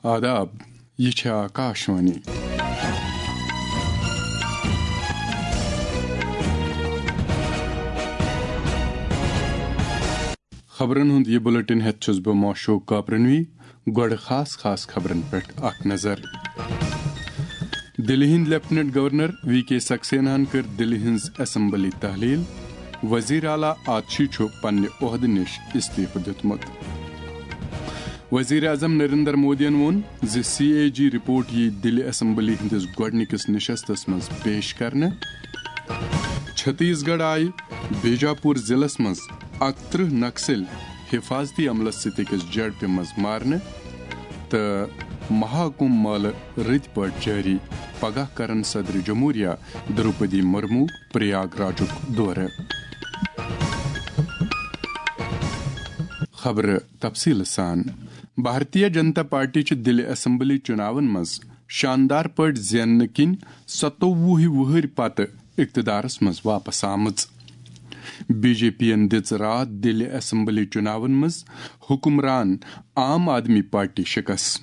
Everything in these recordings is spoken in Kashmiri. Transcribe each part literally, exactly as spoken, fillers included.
آداب، یہِ چھےٚ آکاشوانی۔ خبرن ہُنٛد یہِ بُلٹن ہٮ۪تھ چھُس بہٕ موشوق کاپرنوی۔ گۄڈٕ خاص خاص خبرن پٮ۪ٹھ اکھ نظر۔ دِلہِ ہٕنٛدۍ لیفٹیننٹ گورنر وی کے سکسیناہن کٔر دِلہِ ہٕنٛز اسمبلی تحلیل۔ وزیر اعلیٰ آتشی چھُ پننہِ عہدٕ نِش استعفہٕ دیُتمُت۔ وزیر اعظم نریندر مودیَن ووٚن زِ سی اے جی رپورٹ یِیہِ دِلہِ اسمبلی ہٕنٛدِس گۄڈٕنِکِس نشستس منٛز پیش کرنہٕ۔ چھتیس گڑھ آیہِ بیجاپور ضلعس منٛز اکترٕہ نکسل حفاظتی عملس سۭتۍ أکِس جھڑپہِ منٛز مارنہٕ تہٕ مہاکمبھ مٲلہٕ رٕتۍ پٲٹھۍ جٲری۔ پگاہ کرن صدر جمہوریہ دروپدی مرمو پریاگ راجُک دورٕ۔ خبرٕ تفصیٖل سان۔ بھارتیہ جنتا پارٹی چھِ دِلہِ اسمبلی چُناون منٛز شاندار پٲٹھۍ زیننہٕ کِنۍ ستووُہ وُہٕرۍ پتہٕ اقتدارس منٛز واپس آمٕژ۔ بی جے پی یَن دِژ راتھ دِلہِ اسمبلی چُناون منٛز حکمران عام آدمی پارٹی شکست۔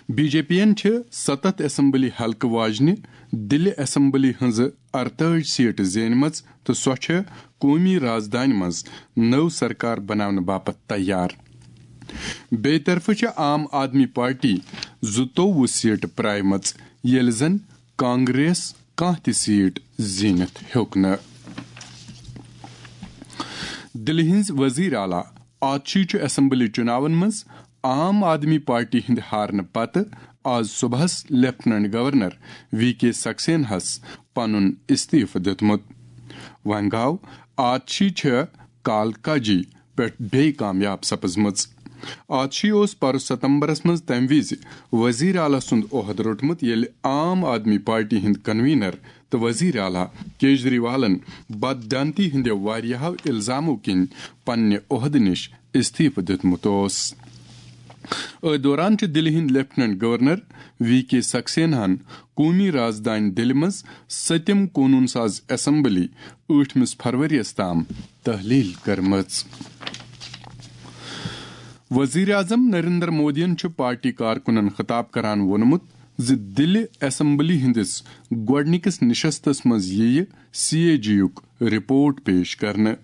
بی جے پی یَن چھِ ستتھ اسمبلی حلقہٕ واجنہِ دِلہِ اسمبلی ہٕنٛزٕ ارتٲجی سیٹہٕ زینمٕژ تہٕ سۄ چھےٚ قومی رازدانہِ منٛز نٔو سرکار بناونہٕ باپتھ تیار۔ بیٚیہِ طرفہٕ چھِ عام آدمی پارٹی زٕتووُہ سیٹہٕ پرٛایمٕژ، ییٚلہِ زن کانگریس کانٛہہ تہِ سیٹ زیٖنِتھ ہیوٚک نہٕ۔ دِلہِ ہٕنٛز وزیر اعلیٰ آتشی چھُ اسمبلی چُناون منٛز عام آدمی پارٹی ہٕنٛدِ ہارنہٕ پتہٕ آز صبحس لیفٹیننٹ گورنر وی کے سکسیناہس پنُن استعفہٕ دیُتمُت۔ وۄنۍ گوٚو، آتشی چھےٚ کالکاجی پٮ۪ٹھ بیٚیہِ کامیاب سپٕزمٕژ۔ آتشی اوس پرُس ستمبرس منٛز تَمہِ وِزِ وزیر اعلیٰ سُنٛد عہدٕ روٚٹمُت، ییٚلہِ عام آدمی پارٹی ہٕنٛدۍ کنوینر تہٕ وزیر اعلیٰ کیجریوالن بددیانتی ہٕنٛدیو واریاہو الزامو کِنۍ پننہِ عہدٕ نِش استعفہٕ دیُتمُت اوس۔ أتھۍ دوران چھِ دِلہِ ہٕنٛدۍ لیفٹیننٹ گورنر وی کے سکسیناہن قومی رازدانہِ دِلہِ منٛز سٔتِم قونوٗن ساز اسمبلی ٲٹھمِس فروریَس تام تحلیل کٔرمٕژ۔ وزیر اعظم نریندر مودیَن چھُ پارٹی کارکُنَن خطاب کران ووٚنمُت زِ دِلہِ اسمبلی ہٕنٛدِس گۄڈٕنِکِس نشستَس منٛز یِیہِ سی اے جی یُک رپورٹ پیش کرنہٕ۔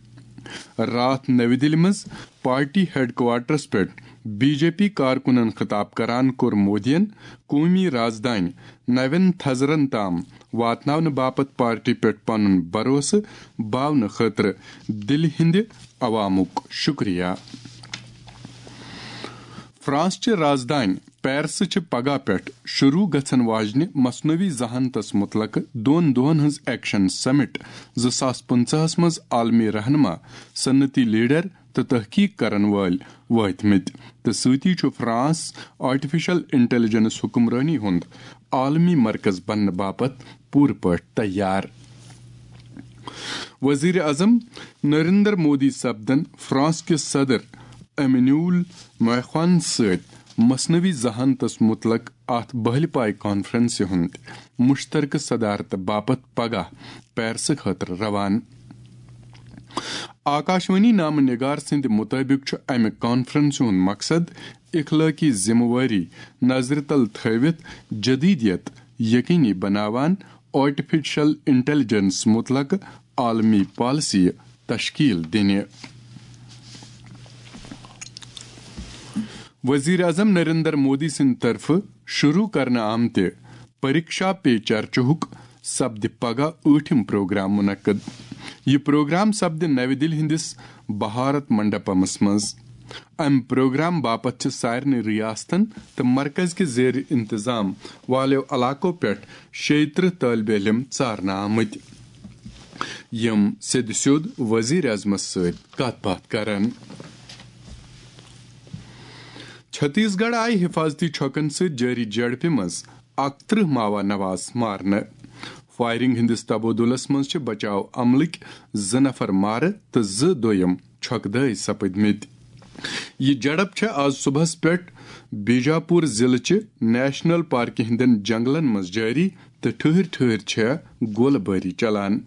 راتھ نَوِ دِلہِ منٛز پارٹی ہیڈ کوارٹرس پٮ۪ٹھ بی جے پی کارکُنَن خطاب کران کوٚر مودیَن قومی رازدانہِ نوٮ۪ن تھزرَن تام واتناونہٕ باپتھ پارٹی پٮ۪ٹھ پنُن بھروسہٕ باونہٕ خٲطرٕ دِلہِ ہٕنٛدِ عوامُک شُکریہ۔ فرانس چہِ رازدانہِ پیرسہٕ چھِ پگاہ پٮ۪ٹھ شروع گژھن واجنہِ مصنوعی ذہانتس متعلق دۄن دۄہن ہٕنٛز ایکشن سمٹ زٕ ساس پٕنٛژٕہس منٛز عالمی رہنما، صنعتی لیڈر تہٕ تحقیق کرن وٲلۍ وٲتمٕتۍ، تہٕ سۭتی چھُ فرانس آرٹیفیشل انٹیلیجنس حکمرٲنی ہُنٛد عالمی مرکز بننہٕ باپتھ پوٗرٕ پٲٹھۍ تیار۔ وزیر اعظم نریندر مودی سپدن فرانس کِس صدر ایمینول میخوان سۭتۍ مصنوعی ذہانتس متعلق اتھ بہلہِ پایہِ کانفرنسہِ ہُنٛد مشترکہٕ صدارت باپتھ پگاہ پیرسہٕ خٲطرٕ روانہٕ۔ آکاشوانی نامہ نگار سٕنٛدِ مُطٲبِق چھُ امہِ کانفرنسہِ ہُنٛد مقصد اخلٲقی ذمہٕ وٲری نظرِ تل تھٲوِتھ جدیدیت یقینی بناوان آرٹیفیشل انٹیلیجنس متعلق عالمی پالیسی تشکیل دِنہِ۔ وزیر اعظم نریندر مودی سٕنٛدِ طرفہٕ شروع کرنہٕ آمتہِ پریکشا پے چرچاہُک سپدِ پگاہ ٲٹھِم پروگرام منعقد۔ یہِ پروگرام سپدِ نَوِ دِلہِ ہٕنٛدِس بھارت منڈپمس منٛز۔ امہِ پروگرام باپتھ چھِ سارنٕے ریاستن تہٕ مرکز کہِ زیر انتظام والیو علاقو پٮ۪ٹھ شیٚیہِ ترٕٛہ طٲلبِ علم ژارنہٕ آمٕتۍ، یِم سیٚدِ سیوٚد وزیر اعظمس سۭتۍ کتھ باتھ کرن۔ چھتیس گڑھ آیہِ حفاظتی چھۄکن سۭتۍ جٲری جھڑپہِ منٛز اکترٕٛہ ماوا نواز مارنہٕ۔ فائرنگ ہٕنٛدِس تبادلس منٛز چھِ بچاو عملٕکۍ زٕ نفر مارٕ تہٕ زٕ دوٚیم چھۄکہٕ دٲے سپٕدمٕتۍ۔ یہِ جھڑپ چھےٚ آز صبحس پٮ۪ٹھ بیجاپور ضلعہٕ چہِ نیشنل پارکہِ ہٕنٛدٮ۪ن جنگلن منٛز جٲری تہٕ ٹھٔہرۍ ٹھٔہرۍ چھےٚ گولہٕ بٲری چلان۔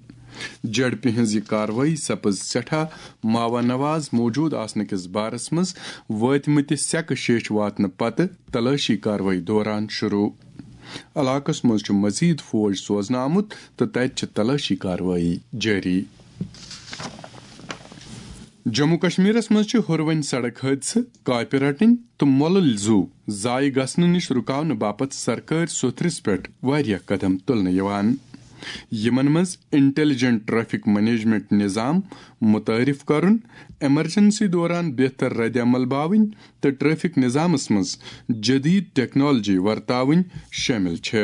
جیڈ پی ہٕنٛز یہِ کاروٲیی سپٕز سٮ۪ٹھاہ ماوا نواز موجود آسنہٕ کِس بارس منٛز وٲتمٕتہِ سٮ۪کہٕ شیٚچھ واتنہٕ پتہٕ تلٲشی کاروٲیی دوران شروع۔ علاقس منٛز چھُ مزید فوج سوزنہٕ آمُت تہٕ تتہِ چھِ تلٲشی کاروٲیی جٲری۔ جموں کشمیرس منٛز چھِ ہُروٕنۍ سڑک حٲدثہٕ، کاپہِ رٹٕنۍ تہٕ مۄلٕلۍ زُو ضایع گژھنہٕ نِش رُکاونہٕ باپتھ سرکٲرۍ سوٚتھرِس پٮ۪ٹھ واریاہ قدم تُلنہٕ یِوان۔ یِمن منٛز انٹیلیجنٹ ٹریفک مینجمنٹ نظام متعارف کرُن، ایمرجنسی دوران بہتر رد عمل باوٕنۍ تہٕ ٹریفک نظامس منٛز جدید ٹیکنالوجی ورتاوٕنۍ شٲمِل چھِ۔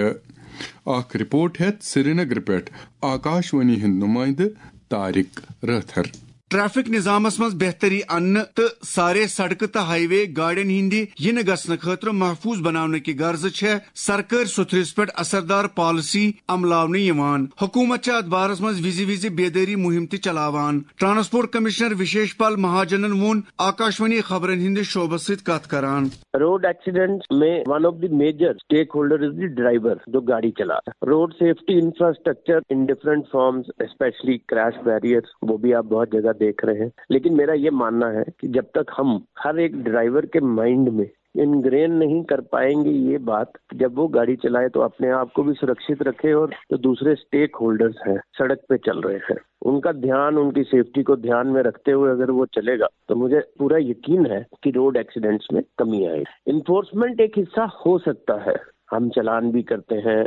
اکھ رپورٹ ہیتھ سرینگر پٮ۪ٹھ آکاش وانی ہُنٛد نمائندٕ طارق رٲتھر۔ ٹریفک نظامس منٛز بہتری اننہٕ تہٕ سارے سڑکہٕ تہٕ ہائی وے گاڑٮ۪ن ہٕنٛدِ یِنہٕ گژھنہٕ خٲطرٕ محفوظ بناونہٕ کہِ غرضہٕ چھےٚ سرکٲرۍ سوٚتھرِس پٮ۪ٹھ اثردار پالیسی عملاونہٕ یِوان۔ حکوٗمت چھےٚ اتھ بارس منٛز وِزِ وِزِ بیدٲری مُہِم تہِ چلاوان۔ ٹرانسپورٹ کمشنر وشیش پال مہاجنن ووٚن آکاشوانی خبرن ہٕنٛدِس شعبس سۭتۍ کتھ کران۔ Road accidents में one of the major stakeholder is the driver, जो गाड़ी चला रहा है। Road safety infrastructure in different forms, especially crash barriers, वो भी आप बहुत जगह देख रहे हैं। लेकिन मेरा ये मानना है कि जब तक हम हर एक ड्राइवर के माइंड में इनग्रेन नहीं कर पाएंगे ये बात, जब वो गाड़ी चलाए तो अपने आप को भी सुरक्षित रखे और जो दूसरे स्टेक होल्डर्स हैं, सड़क पे चल रहे हैं, उनका ध्यान, उनकी सेफ्टी को ध्यान में रखते हुए अगर वो चलेगा तो मुझे पूरा यकीन है कि रोड एक्सीडेंट्स में कमी आएगी। इन्फोर्समेंट एक हिस्सा हो सकता है, हम चालान भी करते हैं,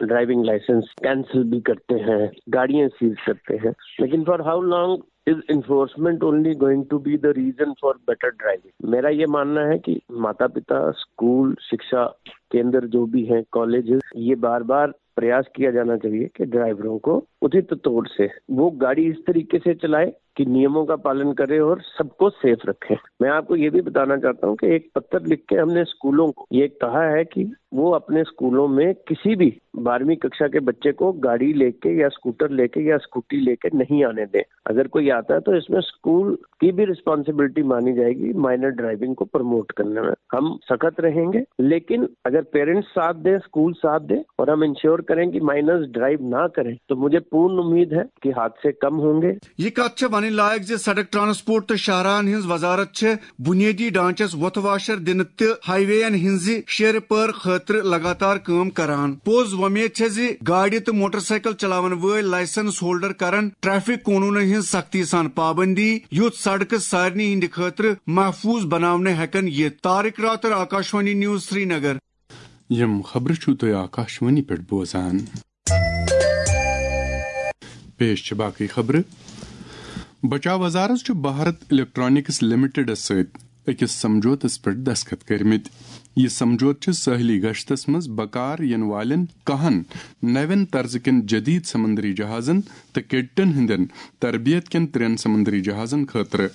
ड्राइविंग लाइसेंस कैंसिल भी करते हैं, गाड़ियां सीज करते हैं, लेकिन for how long is enforcement only going to be the reason for better driving? मेरा ये मानना है कि माता पिता, स्कूल, शिक्षा केंद्र जो भी हैं, कॉलेजेस, ये बार बार प्रयास किया जाना चाहिए कि ड्राइवरों को उचित तौर से वो गाड़ी इस तरीके से चलाए कि नियमों का पालन करें और सबको सेफ रखें। मैं आपको ये भी बताना चाहता हूँ कि एक पत्र लिख के हमने स्कूलों को ये कहा है कि वो अपने स्कूलों में किसी भी बारहवीं कक्षा के बच्चे को गाड़ी लेके या स्कूटर लेके या स्कूटी लेके नहीं आने दें। अगर कोई आता है तो इसमें स्कूल की भी रिस्पॉन्सिबिलिटी मानी जाएगी माइनर ड्राइविंग को प्रमोट करने में। हम सख्त रहेंगे, लेकिन अगर पेरेंट्स साथ दें, स्कूल साथ दें और हम इंश्योर करें कि माइनर्स ड्राइव ना करें, तो मुझे पूर्ण उम्मीद है कि हादसे कम होंगे। یہِ کتھ چھےٚ ونٕنۍ لایق زِ سڑک ٹرانسپورٹ تہٕ شاہراہن ہٕنٛز وزارت چھےٚ بنیٲدی ڈھانچس وۄتھٕ واشر دِنہٕ تہٕ ہائی ویین ہٕنٛزِ شیرٕ پٲر خٲطرٕ لگاتار کٲم کران۔ پوٚز وۄمید چھےٚ زِ گاڑِ تہٕ موٹر سائیکل چلاون وٲلۍ لائسنس ہولڈر کرن ٹریفک قونوٗنن ہٕنٛز سختی سان پابندی، یُتھ سڑکہٕ سارنٕے ہٕنٛدِ خٲطرٕ محفوظ بناونہٕ ہٮ۪کن یِتھ۔ طارق راتر، آکاشوانی نیوز، سرینگر۔ یِم خبرٕ چھِو تُہۍ آکاشوانی پٮ۪ٹھ بوزان۔ پیش چھِ باقٕے خبرٕ۔ بچاو وزارت چھُ بھارت الیکٹرانکس لمیٹڈس سۭتۍ أکِس سمجھوتس پٮ۪ٹھ دستخط کٔرمٕتۍ۔ یہِ سمجھوتہٕ چھُ سٲحلی گشتس منٛز بکار یِنہٕ والٮ۪ن کاہن نوٮ۪ن طرزٕ کٮ۪ن جدید سمندری جہازن تہٕ کیڈٹن ہٕنٛدٮ۪ن تربیت کٮ۪ن ترٛٮ۪ن سمندری جہازن خٲطرٕ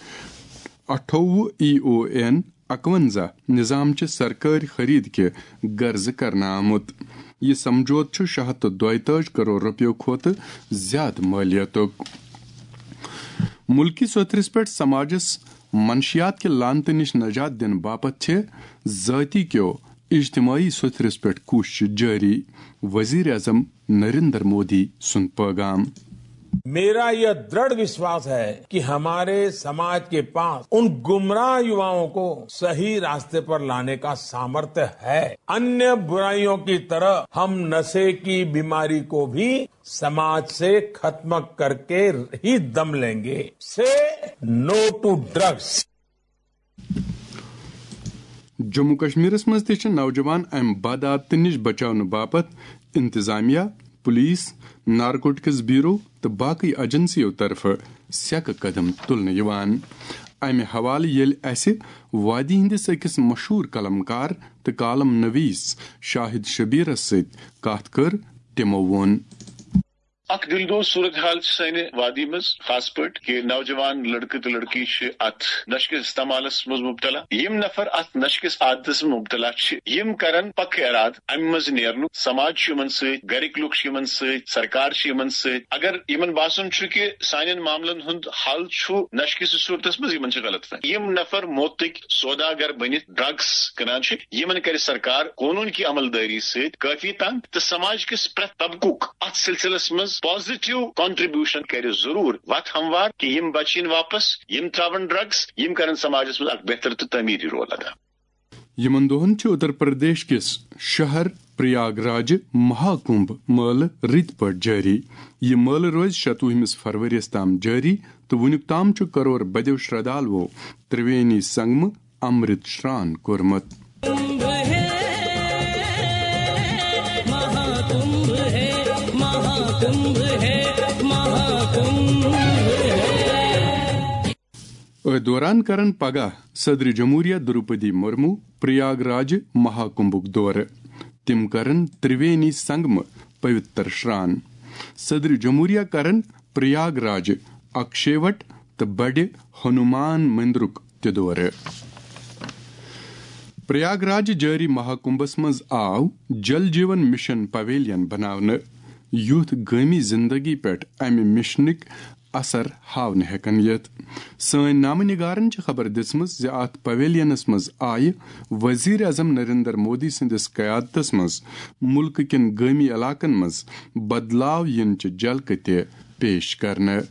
اَٹھووُہ ای او این اَکوَنزاہ نظام چہِ سرکٲرۍ خرید کہِ غرضہٕ کرنہٕ آمُت۔ یہِ سمجھوتہٕ چھُ شےٚ ہَتھ تہٕ دۄیتٲجۍ کرور رۄپیو کھۄتہٕ زیادٕ مٲلیتُک۔ مُلکی سوٚتھرِس پٮ۪ٹھ سماجس منشیات کہِ لعنتہٕ نِش نجات دِنہٕ باپتھ چھِ ذٲتی کیو اجتماعی سوٚتھرِس پٮ۪ٹھ کوٗششہٕ جٲری، وزیر اعظم نریندر مودی سُنٛد پٲغام۔ मेरा यह दृढ़ विश्वास है कि हमारे समाज के पास उन गुमराह युवाओं को सही रास्ते पर लाने का सामर्थ्य है। अन्य बुराइयों की तरह हम नशे की बीमारी को भी समाज से खत्म करके ही दम लेंगे। से नो टू ड्रग्स। جموں کشمیرس منٛز تہِ چھِ نوجوان امہِ بدعادتہٕ نِش بچاونہٕ باپتھ انتظامیہ، پولیس، نارکوٹکس بیورو تہٕ باقٕے ایجنسیو طرفہٕ سیٚکہٕ قدم تُلنہٕ یِوان۔ امہِ حوالہٕ ییٚلہِ اسہِ وادی ہٕنٛدِس أکِس مشہوٗر قلم کار تہٕ کالم نویس شاہد شبیرس سۭتۍ کتھ کٔر، تِمو ووٚن۔ اکھ دلدوز صورتحال چھِ سانہِ وادی منٛز، خاص پٲٹھۍ کہِ نوجوان لڑکہٕ تہٕ لڑکی چھِ اتھ نشہٕ کِس استعمالس منٛز مبتلا۔ یِم نفر اتھ نشہٕ کِس عادتس منٛز مبتلا چھِ، یِم کرن پکہٕ ارادٕ امہِ منٛز نیرنُک۔ سماج چھُ یِمن سۭتۍ، گرِکۍ لُکھ چھِ یِمن سۭتۍ، سرکار چھِ یِمن سۭتۍ۔ اگر یِمن باسان چھُ کہِ سانٮ۪ن معاملن ہُنٛد حل چھُ نشہٕ کِس صورتس منٛز، یِمن چھِ غلط فہمی۔ یِم نفر موتٕکۍ سوداگر بٔنِتھ ڈرگس کٕنان چھِ، یِمن کرِ سرکار قونوٗن کی عمل دٲری سۭتۍ کٲفی تنگ تہٕ سماج کِس پرٛٮ۪تھ طبقُک اتھ سلسلس منٛز پازیٹیو کنٹریبیوشن کرِ ضروٗر وتھ ہموار، کہِ یِم بچہِ یِن واپس، یِم ترٛاوَن ڈرگس، یِم کرن سماجس منٛز اکھ بہتر تہٕ تعمیٖری رول ادا۔ یِمن دۄہن چھِ اتر پردیش کِس شہر پریاگ راجہِ مہاکمبھ مٲلہٕ رٕتۍ پٲٹھۍ جٲری۔ یہِ مٲلہٕ روزِ شتوُہمِس فرؤریَس تام جٲری تہٕ وُنیُک تام چھُ کرور بدیو شردھالوو ترٛوینی سنگمہٕ امرت شران کوٚرمُت۔ أتھۍ دوران کرن پگاہ صدر جمہوریہ دروپدی مرمو پریاگ راج مہاکمبھُک دورٕ۔ تِم کرن ترٛوینی سنگمہٕ پویتر شران۔ صدر جمہوریہ کرن پریاگ راج اکشیوٹ تہٕ بڑِ ہنومان مندرُک تہِ دورٕ۔ پریاگ راج جٲری مہاکمبھس منٛز آو جل جیون مشن پویلین بناونہٕ، یُتھ گٲمی زندگی پٮ۪ٹھ امہِ مشنٕکۍ اثر ہاونہٕ ہٮ۪کن یِتھ۔ سٲنۍ نامہٕ نگارن چھِ خبر دِژمٕژ زِ اتھ پویلینس منٛز آیہِ وزیر اعظم نریندر مودی سٕنٛدِس قیادتس منٛز مُلکہٕ کٮ۪ن گٲمی علاقن منٛز بدلاو یِنٕچہِ جھلکہٕ تہِ پیش کرنہٕ۔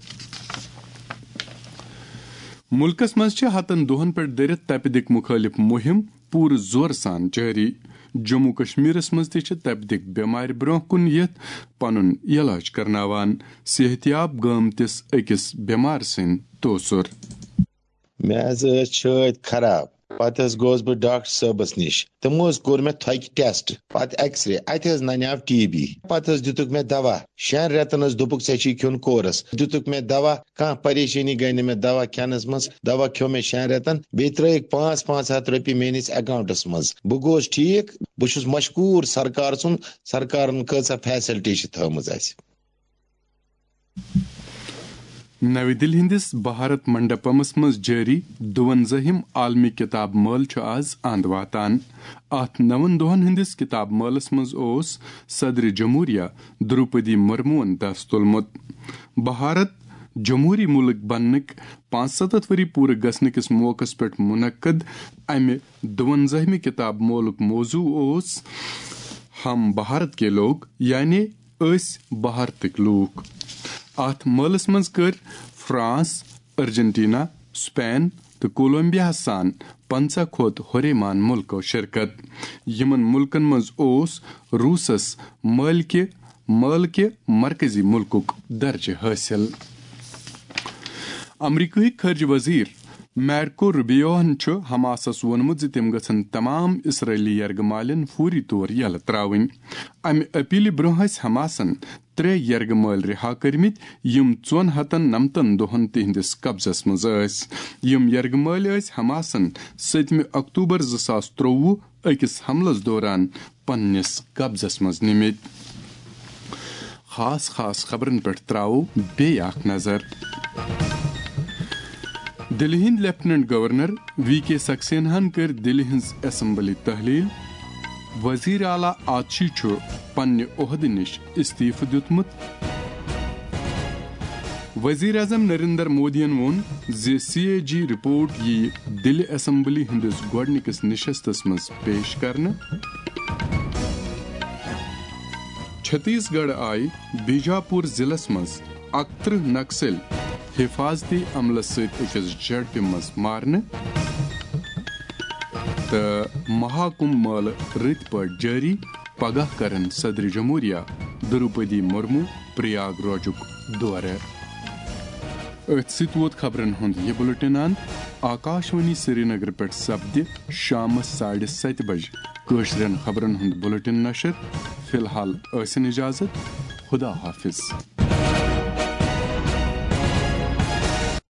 مُلکس منٛز چھِ ہتن دۄہن پٮ۪ٹھ دٔرِتھ تپہِ دِق مُخٲلِف مُہِم پوٗرٕ زورٕ سان جٲری۔ جموں کشمیرس منٛز تہِ چھِ تپہِ دِق بٮ۪مارِ برٛونٛہہ کُن یِتھ پنُن علاج کرناوان۔ صحتیاب گٲمتِس أکِس بٮ۪مار سٕنٛدۍ توسُر۔ مےٚ حظ ٲس چھٲتۍ خراب، پتہٕ حظ گوس بہٕ ڈاکٹر صٲبس نِش۔ تِمو حظ کوٚر مےٚ تھۄکہِ ٹیسٹ، پتہٕ ایکس رے، اتہِ حظ ننیاو ٹی بی۔ پتہٕ حظ دِتُکھ مےٚ دوا، شٮ۪ن رٮ۪تن حظ دوٚپُکھ، "ژےٚ چھُے کھیوٚن کورس۔" دِتُکھ مےٚ دوا، کانٛہہ پریشٲنی گٔے نہٕ مےٚ دوا کھٮ۪نس منٛز۔ دوا کھیوٚو مےٚ شٮ۪ن رٮ۪تن، بیٚیہِ ترٲیِکھ پانٛژھ پانٛژھ ہتھ رۄپیہِ میٲنِس اکاونٹس منٛز۔ بہٕ گوس ٹھیٖک۔ بہٕ چھُس مشکوٗر سرکار سُنٛد، سرکارن کۭژاہ فیسلٹی چھِ تھٲومٕژ اسہِ۔ نَوِ دِلہِ ہٕنٛدِس بھارت منڈپمس منٛز جٲری دُوَنزٲہِم عالمی کتاب مٲلہٕ چھُ آز اند واتان۔ اتھ نَوَن دۄہن ہٕنٛدِس کتاب مٲلس منٛز اوس صدر جمہوریہ دروپدی مرموہن دس تُلمُت۔ بھارت جمہوری مُلک بننٕکۍ پانٛژستتھ ؤری پوٗرٕ گژھنہٕ کِس موقعس پٮ۪ٹھ منعقد امہِ دُوَنزٲہِمہِ کتاب مٲلُک موضوع اوس ہم بھارت کے لوگ، یعنی أسۍ بھارتٕکۍ لوٗکھ۔ اتھ مٲلس منٛز کٔر فرانس، ارجنٹینا، سپین تہٕ کولمبیاہس سان پنژاہ کھۄتہٕ ہُریمان مُلکو شرکت۔ یِمن مُلکن منٛز اوس روٗسس مٲلکہِ، مٲلکہِ مرکزی مُلکُک درجہٕ حٲصِل۔ امریکہٕکۍ خارجہ وزیر مارکو روبیوہن چھُ حماسس ووٚنمُت زِ تِم گژھن تمام اسرائیلی یرغمالن فوری طور یلہٕ ترٛاوٕنۍ۔ امہِ اپیلہِ برٛونٛہہ ٲسۍ حماسن ترٛےٚ یرغمٲلۍ رِہا کٔرمٕتۍ، یِم ژۄن ہتن نمتن دۄہن تِہنٛدِس قبضس منٛز ٲسۍ۔ یِم یرغمٲلۍ ٲسۍ حماسن سٔتمہِ اکتوبر زٕ ساس ترٛۆوُہ أکِس حملس دوران پننِس قبضس منٛز نِمٕتۍ۔ خاص خاص خبرن پٮ۪ٹھ ترٛاوو بیٚیہِ اکھ نظر۔ دِلہِ ہٕنٛدۍ لیفٹیننٹ گورنر وی کے سکسیناہن کٔر دِلہِ ہٕنٛز اسمبلی تحلیل۔ وزیر اعلیٰ آتشی چھُ پننہِ عہدٕ نِش استعفہٕ دیُتمُت۔ وزیر اعظم نریندر مودیَن ووٚن زِ سی اے جی رپورٹ یِیہِ دِلہِ اسمبلی ہٕنٛدِس گۄڈٕنِکِس نشستَس منٛز پیش کرنہٕ۔ چھتیس گڑھ آیہِ بیجاپور ضلعس منٛز اَکترٕہ نکسل حفاظتی عملس سۭتۍ أکِس جھڑپہِ منٛز مارنہٕ۔ تہٕ مہاکمبھ مٲلہٕ رٕتۍ پٲٹھۍ جٲری۔ پگاہ کرن صدر جمہوریہ دروپدی مرمو پریاگ راجُک دورٕ۔ أتھۍ سۭتۍ ووت خبرن ہُنٛد یہِ بُلٹن اند۔ آکاشوانی سرینگر پٮ۪ٹھ سپدِ شامس ساڑِ ستہِ بجہِ کٲشرٮ۪ن خبرن ہُنٛد بُلٹن نشر۔ فی الحال ٲسِن اجازت۔ خدا حافظ۔